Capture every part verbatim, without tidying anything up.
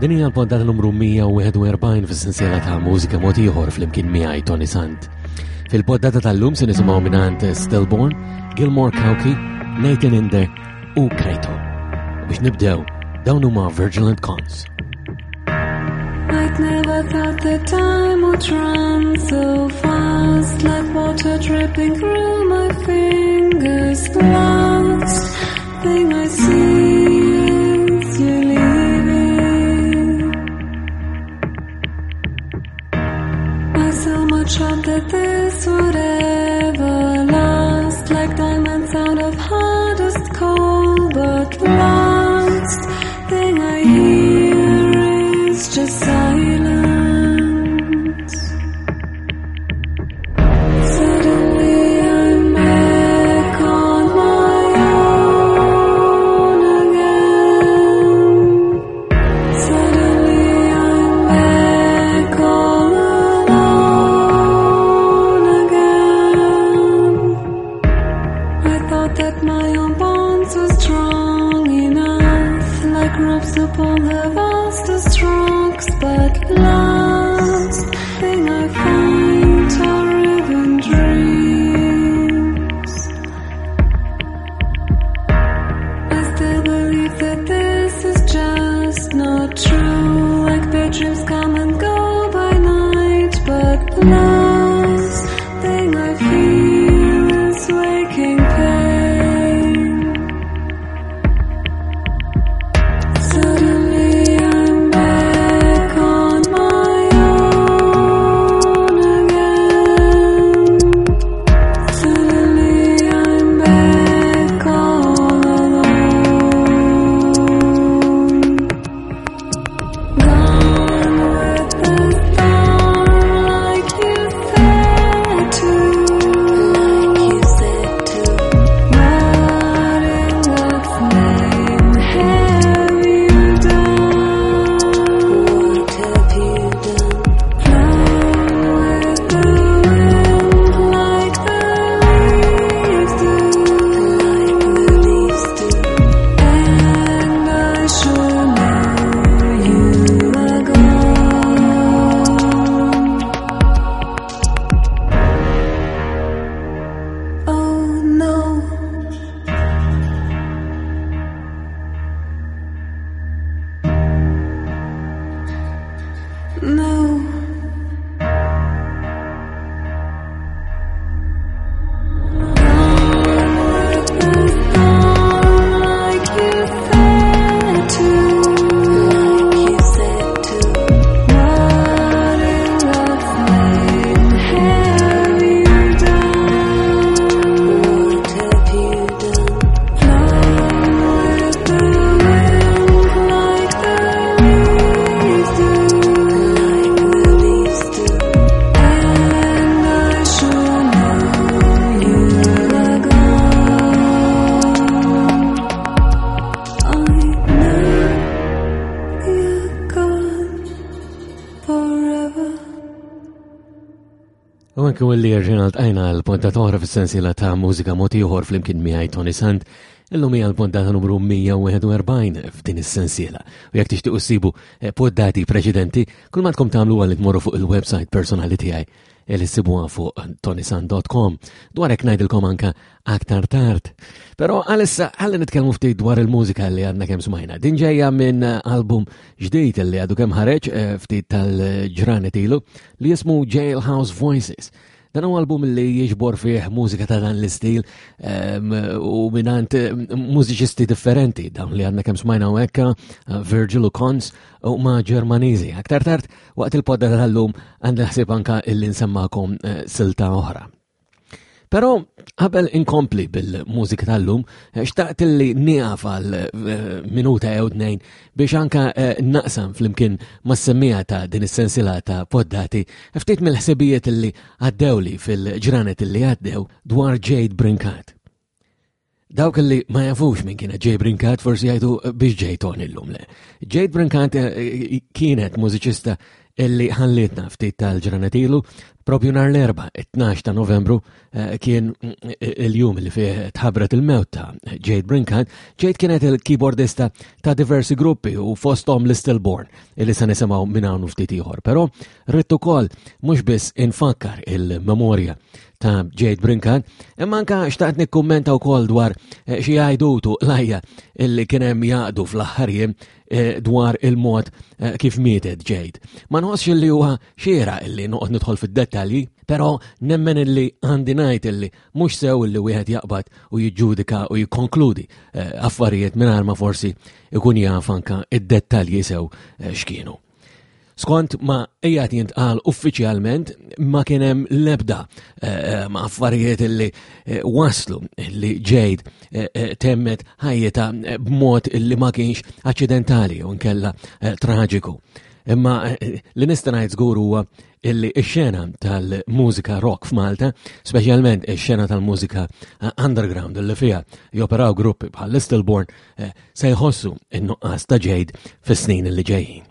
Din hija l-poddata numru mija u wieħed u erbgħin fis-sensiela ta' Mużika Mod Ieħor flimkien miegħi, Toni Sant. Fil-poddata tal-lum se nisimgħu mingħand Stillborn, Gilmore Cauchi, Nathan Inder u Kaito. U biex nibdew, dawn huma Virgil and Cons. I'd never thought that time would run so fast, like water dripping through my fingers. Last thing I see is you leaving. I so much hoped that this would ever last, like diamonds out of hardest coal. But last thing I hear is just silence. Suddenly I'm back on my own again. Suddenly I'm back all alone again. I thought that my own bonds were strong enough, like ropes upon the vastest rocks. But last thing I find are riven dreams. I still believe that this is just not true. Like bad dreams come and go by night, but last thing I feel is waking pain. Suddenly I'm back on my own again. Suddenly I'm back all alone. Gone with the storm, like you said to. Like you said to. What in God's name have you done? What have you done? Flown with the wind like the leaves do. Like the leaves do. And I sure know you are gone. Oh no. No. Gone with the storm, like you said to. Like you said to. What in God's name have you done? What have you done? Flown with the wind like the leaves do. Like the leaves do. And I sure know you are gone. I know you're gone forever. U anke li rġajna ltqajna l-poddata oħra fis-sensiela ta' Mużika Mod Ieħor flimkien miegħi, Toni Sant. Illum hija l-poddata numru mija u wieħed u erbgħin f'din is-sensiela. U jekk tixtiequ ssibu eh, poddati preċedenti, kull ma għandkom tagħmlu għal tmorru fuq il-website personali tiegħi li ssibuha fuq tonisant punt com. Dwar hekk ngħidilkom anka aktar tard. Però għalissa ħalli nitkellmu ftit dwar il-mużika li għadna kemm smajna. Din ġejja minn album ġdid li għadu kemm ħareġ eh, ftit tal-ġranet ilu li jismu Jailhouse Voices. Dan huwa album li jiġbor fih mużika ta' dan l-istil em, u mingħand mużiċisti differenti, dawn li għadna kemm smajna u hekka, Virgil u Cons u ma' Ġermaniżi. Aktar tard waqt il-poddata tal-lum għandi ħsieb anka illi nsemmakom eh, silta oħra. Però qabel inkompli bil-mużika tal-lum, eh, xtaqt li nieqaf għal eh, minuta jew tnejn biex anka eh, naqsam flimkien mas-semmiegħa ta' din is-sensiela ta' poddati ftit mill-ħsibijiet li għaddewli fil-ġranet li għaddew dwar Jade Brincat. Dawk li ma jafux minn kienet Jade Brincat forsi jgħidu biex ġej Toni illum le. Jade Brincat eh, kienet mużiċista illi ħallietna ftit tal-ġranet ilu. Propju nhar l-Erbgħa, it-tnax ta' Novembru, kien il-jum li fih tħabbret il-mewt ta' Jade Brincat. Jade kienet il-keyboardista ta' diversi gruppi u fosthom l-Stillborn, illi se nisimgħu minn hawn ftit ieħor. Però rrid ukoll mhux biss infakkar il-memorja ta' Jade Brincat, imma anka xtaqt nikkummenta wkoll dwar xi għajdutu lajja illi kien hemm jaqdu fl-aħħar jiem dwar il-mod kif mietet Jade. Ma nħossx illi huwa xiera illi noqgħod nidħol fid-dettalji, però nemmen illi għandi ngħid illi mhux sew illi wieħed jaqbad u jiġġudika u jikkonkludi affarijiet mingħajr ma forsi ikun jaf anka id-dettalji sew x'kienu. Skont ma qiegħed jintqal uffiċjalment, ma kien hemm l-ebda ma affarijiet illi waslu li Jade temmet ħajjitha b'mod illi ma kienx aċċidentali u nkella traġiku. Imma li nista' ngħid żgur huwa illi x-xena tal-mużika rock f'Malta, speċjalment ix-xena tal-mużika underground illi fiha joperaw gruppi bħal Stillborn, se jħossu n-nuqqas ta' Jade fis-snin li ġejjin.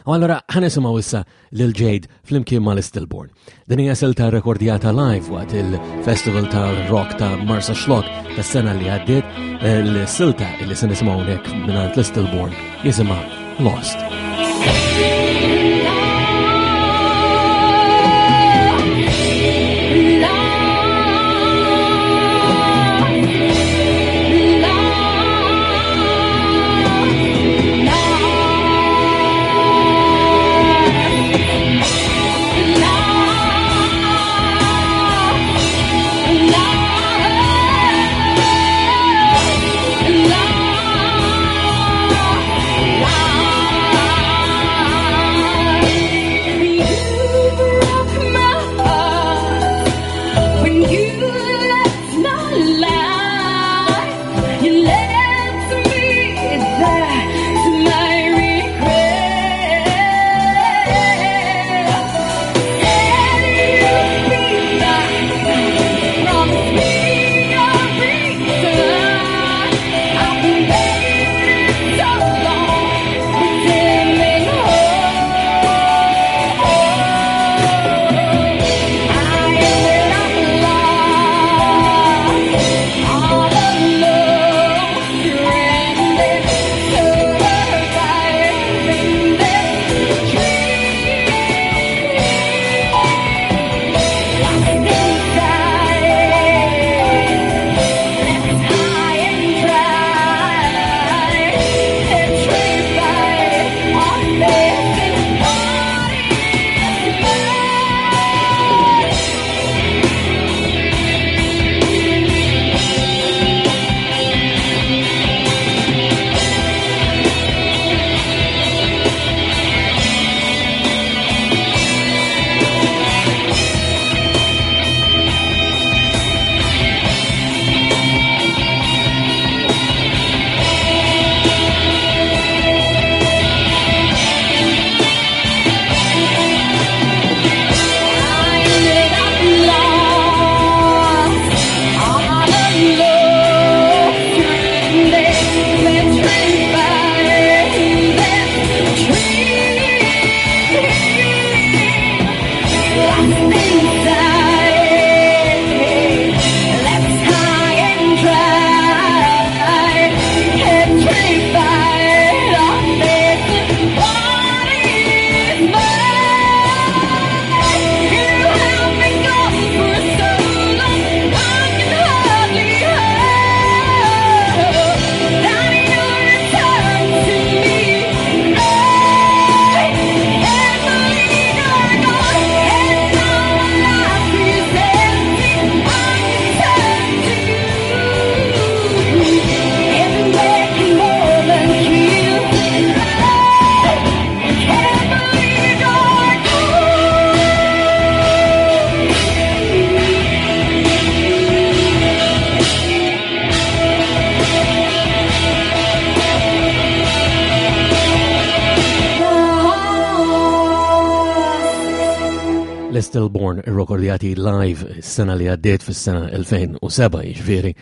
U allura ħa nisimgħu issa lil Jade flimkien mal-Stillborn. Din hija silta rekordjata live waqt il-Festival tal-Rock ta' Marsaxlokk tas-sena li għaddiet. Il-silta li se nisimgħu hawnhekk mingħand l-Stillborn jisimha Lost. Stillborn irrekordjati live s-sena li għaddiet fis-sena elfejn u seba', jiġifieri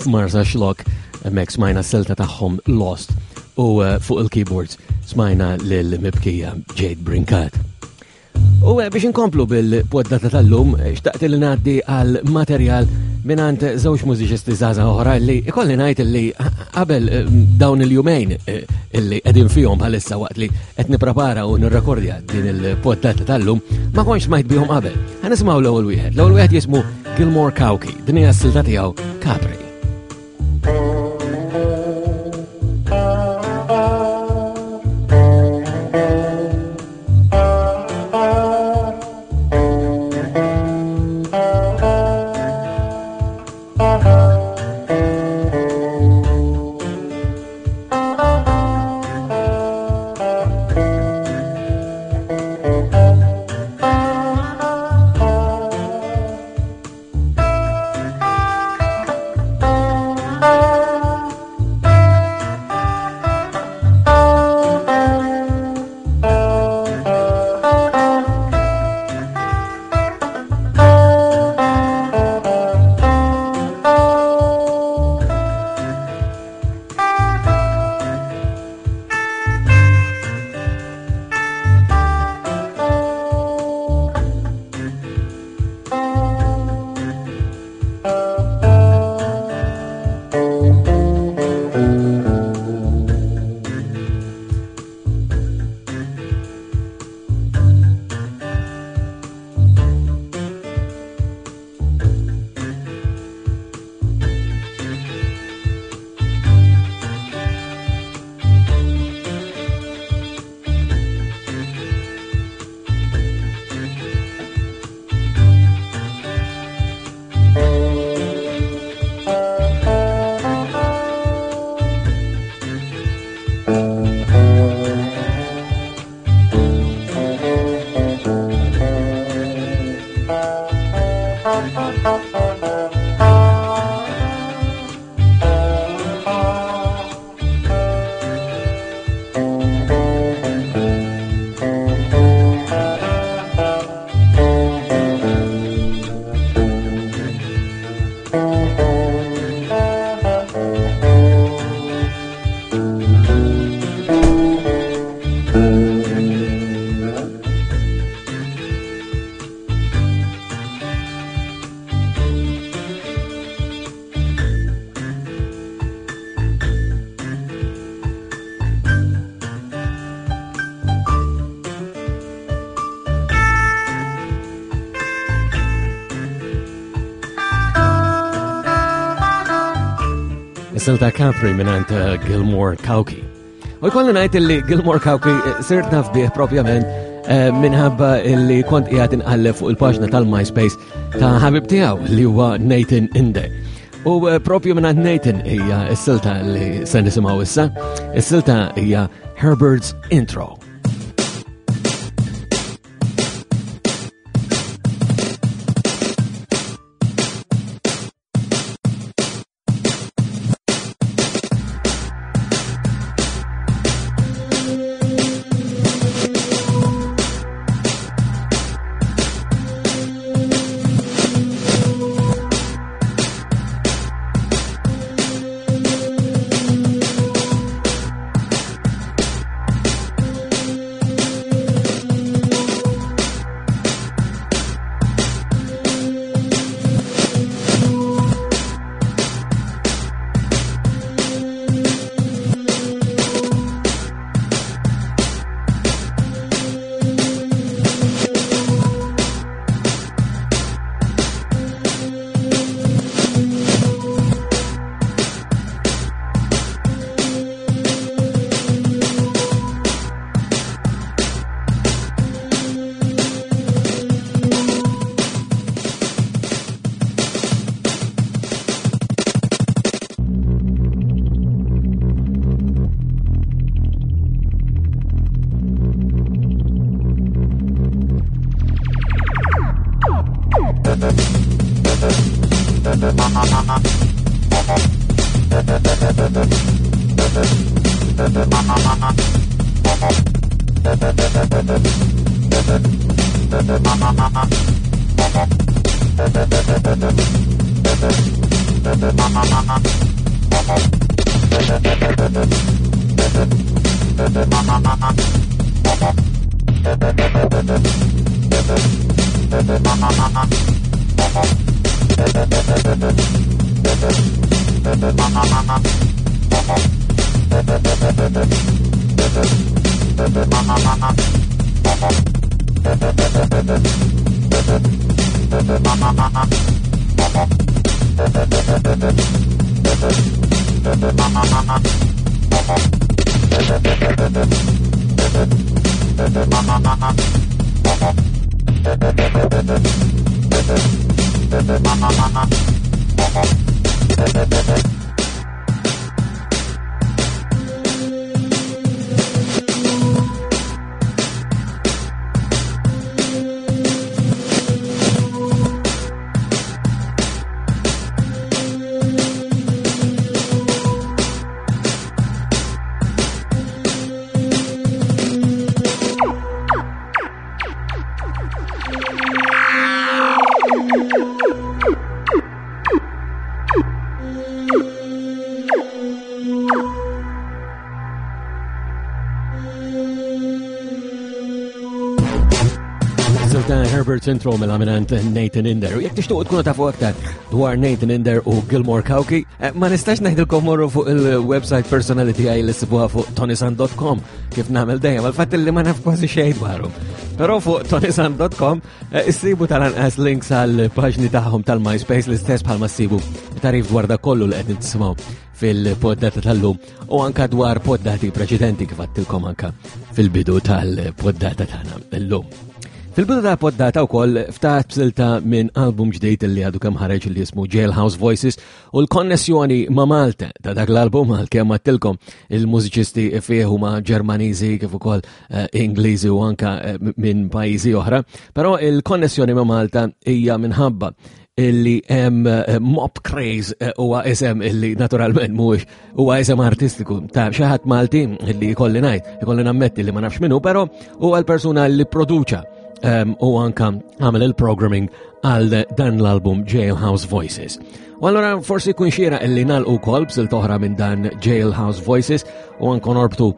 f'Marsaxlokk, hemmhekk smajna s-silta tagħhom Lost u fuq il-keyboards smajna lil mibkija Jade Brincat. U biex inkomplu bil-poddata tal-lum, xtaqt li ngħaddi għal materjal minant żewġ mużiċisti żgħażagħ oħra li ikolli ngħid li qabel dawn il-jumejn illi qegħdin fihom bħalissa waqt li qed nipprepara u nirrekordja din il-poddata tal-lum ma kontx smajt bihom qabel. Ħa nisimgħu l-ewwel wieħed. L-ewwel wieħed jismu Gilmore Cauchi. Din hija s-silta tiegħu Capri. Silta Capri minant Gilmore Cauchi. U jkolli ngħid li Gilmore Cauchi sirt naf bih propjament minħabba li kont qiegħed inqalleb fuq il-paġna tal-MySpace ta' ħabib tiegħu li huwa Nathan Inde. U propju minant Nathan hija s-silta li se nisimgħu issa. Is-silta hija Herbert's Intro. Herbert Intro mill-aminant Nathan Inder. U jekk tixtuq tkunu tafu aktar dwar Nathan Inder u Gilmore Cauchi, ma nistax ngħidilkom morru fuq il-website personali tiegħi li ssibuha fuq tonisan dot com kif nagħmel dejjem, għal-fatt li ma naf kważi xejn dwarhom. Però fuq tonisan dot com issibu tal-anqas links għal paġni tagħhom tal-MySpace l-istess bħalma ssibu tarif dwar dak kollu li qed nisimgħu fil-poddata tal-lum u anka dwar poddati preċedenti kif għattilkom anka fil-bidu tal-poddata tagħna llum. Fil-bidu ta' poddata wkoll ftaħt b'silta minn album ġdid li għadu kemm ħareġ li jismu Jailhouse Voices u l-konnessjoni ma' Malta ta' dak l-album għalkemm għattilkom il-mużiċisti fih huma Ġermaniżi kif ukoll Ingliżi u anka minn pajjiżi oħra, però il-konnessjoni ma' Malta hija minħabba illi hemm Mop Craze huwa isem illi naturalment mhuwiex huwa isem artistiku ta' xi ħadd Malti illi jkolli ngħid, ikolli nammetti li ma nafx minnu, però huwa l-persuna li produċa u anka għamel il-programming għal dan l-album Jailhouse Voices. U allora forsi jkun xieraq illi nagħlqu wkoll b'silt oħra minn dan Jailhouse Voices u anke norbtu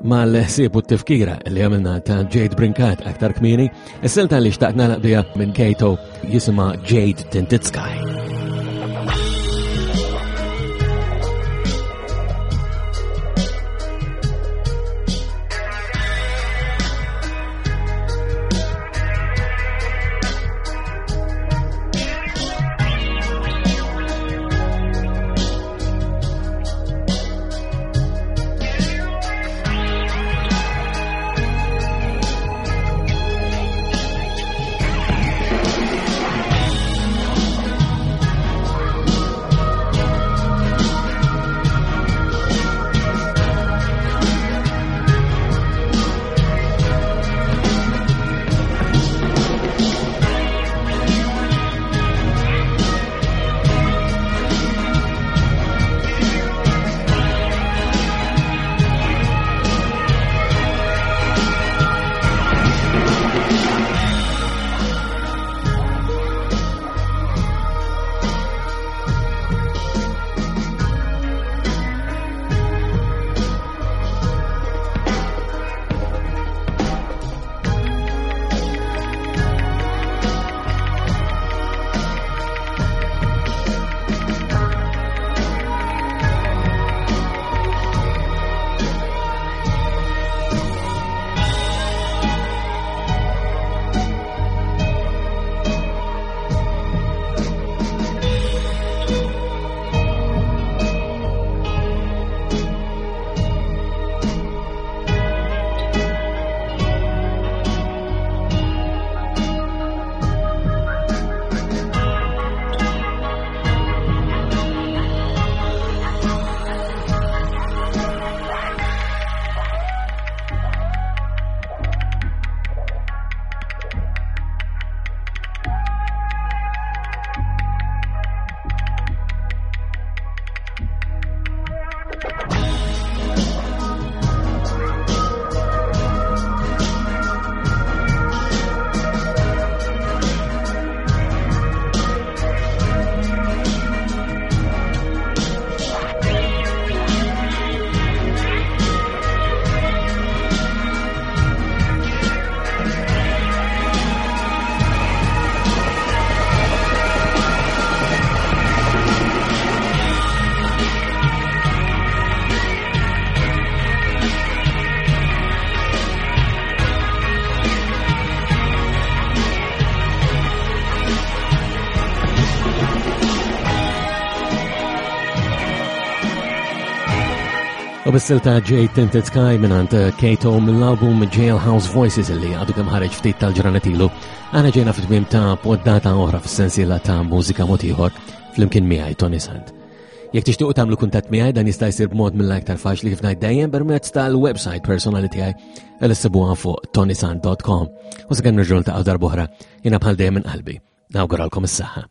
mal-ħsieb u t-tifkira li għamilna ta' Jade Brincat aktar kmieni. Is-silta li xtaqt nagħlaq biha minn Kato jisimha Jade Tinted Sky. Thank U bis-silta Jade Tinted Sky mingħand Kato mill-album Jailhouse Voices li għadu kemm ħareġ ftit tal-ġranet ilu, aħna ġejna fit-tmiem ta' poddata oħra fis-sensiela ta' Mużika Mod Ieħor flimkien miegħi Toni Sant. Jekk tixtiequ tagħmlu kuntatt miegħi, dan jista' jsir b'mod mill-aktar faċli, kif ngħid dejjem, permezz tal-website personali tiegħi li ssibuha fuq tonisant dot com. U sakemm nerġgħu niltaqgħu darb'oħra, jiena bħal dejjem minn qalbi nawguralkom is-saħħa.